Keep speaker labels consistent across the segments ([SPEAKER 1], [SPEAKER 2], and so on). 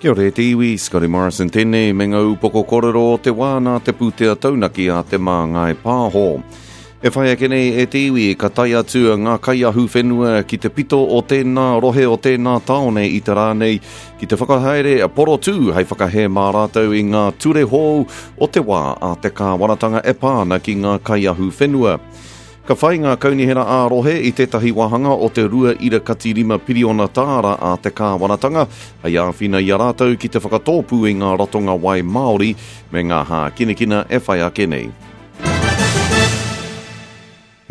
[SPEAKER 1] Kia ora e te iwi, Scotty Morrison tēnei me ngā upoko kōrero o te wā nā te pūtea taunaki a Te Māngai Pāho. E whai ake nei e te iwi, ka tae atu ngā kaiahu whenua ki te pito o tēnā rohe o tēnā tāone i te rā nei ki te whakahaere porotū hei whakahē mā rātou i ngā ture hou o te wā a te kāwanatanga e pā ana ki ngā kaiahu whenua. Ka whai ngā kaunihera ā-rohe i tētahi wāhanga o te 2.5 piriona tāra a te kāwanatanga hei āwhina i a rātou ki te whakatōpū i ngā ratonga wai māori me ngā hākinakina e whai ake nei.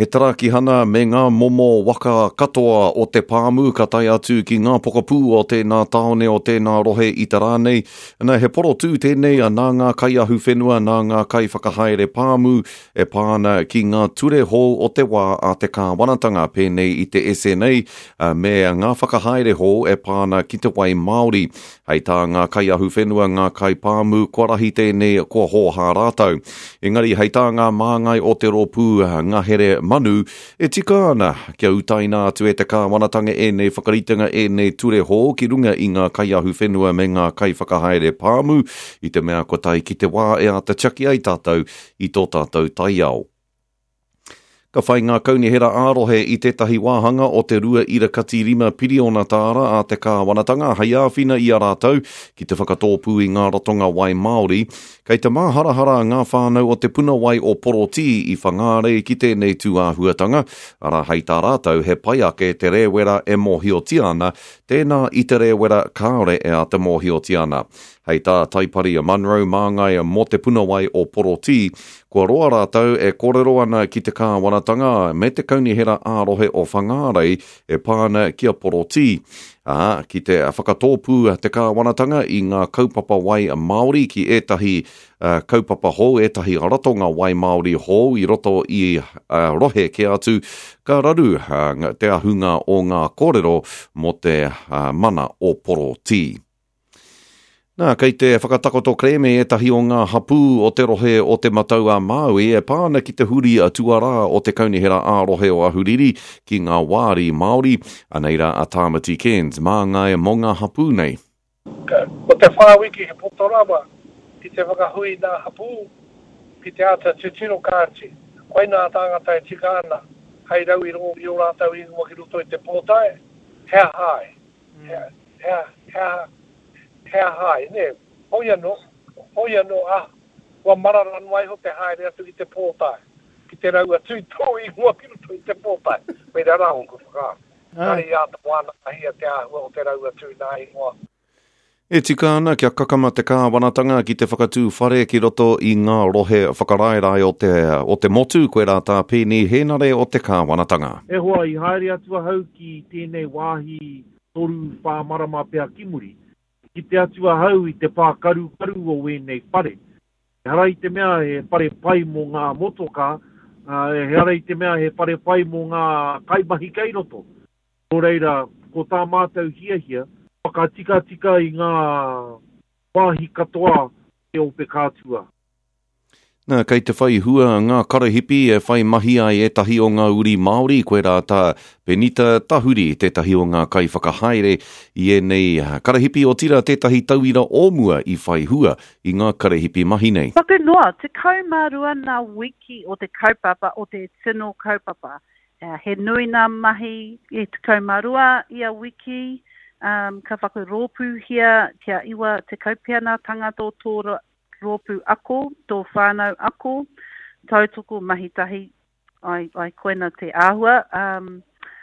[SPEAKER 1] He tarakihana me ngā momo waka katoa o te pāmu ka tae atu ki ngā pokapū o tēnā tāone o tēnā rohe i te rā nei. Na, he porotū tēnei nā ngā kaiahuwhenua, nā ngā kaiwhakahaere pāmu e pā ana ki ngā ture hou o te wā a te kāwanatanga pēnei i te SNA me ngā whakahaere hou e pā ana ki te wai Māori. Hei tā ngā kaiahuwhenua, ngā kaipāmu, kua rahi tēnei, kua hōhā rātou. Engari hei tā ngā māngai o te rōpū ngahere manu, e tika ana kia utaina atu e te kāwanatanga ēnei whakaritenga, ēnei ture hou ki runga i ngā kaiahuwhenua me ngā kaiwhakahaere pāmu, i te mea kua tae ki te wā e āta tiaki ai tātou i tō tātou taiao. Ka whai ngā kaunihera ā-rohe i tētahi wāhanga o te 2.5 piriona tāra a te kāwanatanga hei āwhina i a rātou ki te whakatōpū i ngā ratonga wai māori. Kei te māharahara ngā whānau o te puna wai o Porotī i Whangārei ki tēnei tūāhuatanga, arā hei tā rātou he pai ake te rēwera e mōhiotia ana, tēnā i te rēwera kāore e āta mōhiotia ana. Hei tā Taipari Munro māngai mō te puna wai o Porotī, kua roa rātou e kōrero ana ki te kāwanatanga me te kaunihera ā-rohe o Whangārei e pā ana ki a Porotī, ā, ki te whakatōpū te kāwanatanga i ngā kaupapa wai Māori ki ētahi kaupapa hou, ētahi ratonga wai Māori hou i roto i rohe kē atu, ka raru te ahunga o ngā kōrero mō te mana o Porotī. Nā, kei te whakatakoto kerēme ētahi o ngā hapū o te rohe o Te Matau-a-Māui e pā ana ki te huri tuarā o te Kaunihera ā-Rohe o Ahuriri ki ngā wāri Māori. Anei rā a Tāmati Cairns, māngai mō ngā hapū nei.
[SPEAKER 2] Ko te whā wiki he poto rawa ki te whakahui nā hapū ki te āta titiro kāti koinā tāngata e tika ana hei rau i ō rātou ingoa ki roto i te pōtae, he aha ai? He, he, he, he aha ai, nē? Hoi anō, hoi anō, ah, kua marara noa iho te haere atu ki te pōtae, ki te rau atu i tō ingoa ki roto i te pōtae. Koirā rā ōku whakaaro. Kāre i āta wānangahia te āhua o te rau atu i nā ingoa.
[SPEAKER 1] E tika ana kia kakama te kāwanatanga ki te whakatū whare ki roto i ngā rohe whakaraerae o te, o te motu, koirā tā Peeni Hēnare o te kāwanatanga.
[SPEAKER 3] E hoa, i haere atu ahau ki tēnei wāhi toru, whā marama pea ki muri. I kite atu ahau i te pākarukaru o ēnei whare. Ehara i te mea he whare pai mō ngā motokā, ehara i te mea he whare pai mō ngā kaimahi kei roto. Nō reira, ko tā mātou hiahia, whakatikatika i ngā wāhi katoa o te ope kātua.
[SPEAKER 1] Nā, kei te whai hua ngā karahipi e whai mahi ai ētahi o ngā uri Māori, koirā tā Penita Tahuri, tētahi o ngā kaiwhakahaere i ēnei karahipi, otirā tētahi tauira o mua i whai hua i ngā karahipi mahi nei.
[SPEAKER 4] Paku noa, 12 ngā wiki o te kaupapa, o te tino kaupapa. He nui ngā mahi e 12 ia wiki, ka whakarōpūhia kia 90 pea ngā tangata o tō rōpū ako, tō whānau ako, tautoko mahi tahi, ai, ai koina te āhua.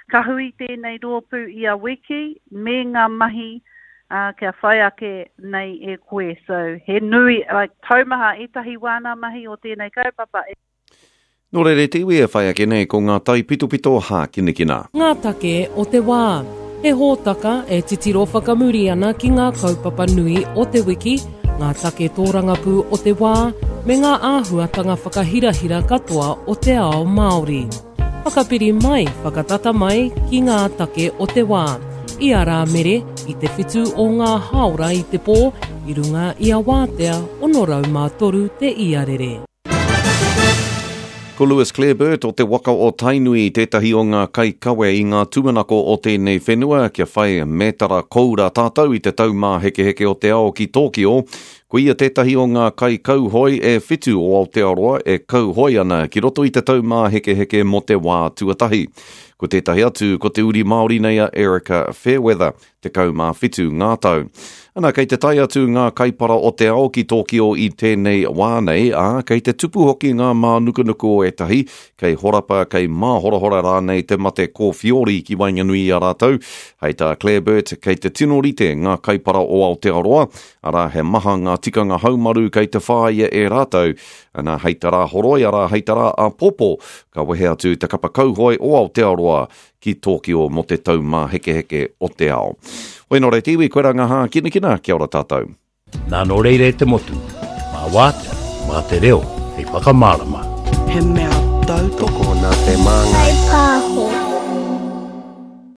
[SPEAKER 4] Ka hui tēnei rōpū ia wiki me ngā mahi kia whai ake nei e koe. So, he nui, like, taumaha ētahi wā ngā mahi o tēnei kaupapa.
[SPEAKER 1] Nō reira e te iwi e whai ake nei ko ngā taipitopito hākinakina.
[SPEAKER 5] Ngā take o te wā. He hōtaka e titiro whakamuri ana ki ngā kaupapa nui o te wiki, ngā take tōrangapū o te wā, me ngā āhuatanga whakahirahira katoa o te ao Māori. Whakapiri mai, whakatata mai ki ngā take o te wā. I a Rāmere, i te whitu o ngā hāora i te pō, i runga i a Wātea 603 te iarere.
[SPEAKER 1] Ko Lewis Clareburt o te waka o Tainui tētahi o ngā kaikawe i ngā tūmanako o tēnei whenua kia whai mētara koura tātou i te Taumāhekeheke o te Ao ki Tōkio. Ko ia tētahi o ngā kaikauhoe e whitu o Aotearoa e kauhoe ana ki roto i te Taumāhekeheke mō te wā tuatahi. Ko tētahi atu ko te uri Māori nei a Erika Fairweather. 17 ngā tau. Ana, kei te tae atu ngā kaipara o te ao ki Tōkio i tēnei wā nei, ā, kei te tupu hoki ngā mānukanuku o ētahi, kei horapa, kei māhorahora rānei te mate kōwhiori ki waenganui i a rātou. Hei tā Clareburt, kei te tino rite ngā kaipara o Aotearoa, arā, he maha ngā tikanga haumaru kei te whāia e rātou. Ana, hei te Rāhoroi, arā, hei te rā āpōpō, ka wehe atu te kapa kauhoe o Aotearoa ki Tōkio mō te Taumāhekeheke o te Ao. Hoi nō reira te iwi, koirā ngā hākinakina, kia ora tātou.
[SPEAKER 6] Nā nō reira e te motu, mā wātea, mā te reo hei whakamārama.
[SPEAKER 7] He mea tautoko.
[SPEAKER 8] Tokona te māngai.
[SPEAKER 9] Whai pāho.